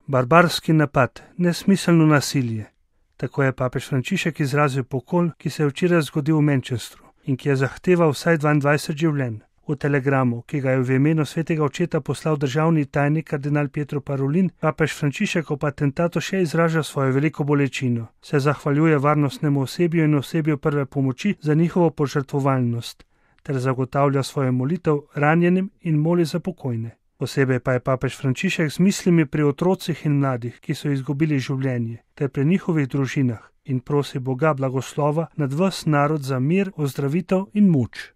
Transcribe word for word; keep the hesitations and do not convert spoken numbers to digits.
Barbarski napad, nesmiselno nasilje. Tako je papež Frančišek izrazil pokol, ki se je včeraj zgodil v Manchesteru in ki je zahteval vsaj dvaindvajset življenj. V telegramu, ki ga je v imenu svetega očeta poslal državni tajnik kardinal Pietro Parolin, papež Frančišek ob atentatu še izraža svojo veliko bolečino, se zahvaljuje varnostnemu osebju in osebju prve pomoči za njihovo požrtvovalnost ter zagotavlja svojo molitev ranjenim in moli za pokojne. Posebej pa je papež Frančišek z mislimi pri otrocih in mladih, ki so izgubili življenje, ter pri njihovih družinah in prosi Boga blagoslova nad ves narod za mir, ozdravitev in moč.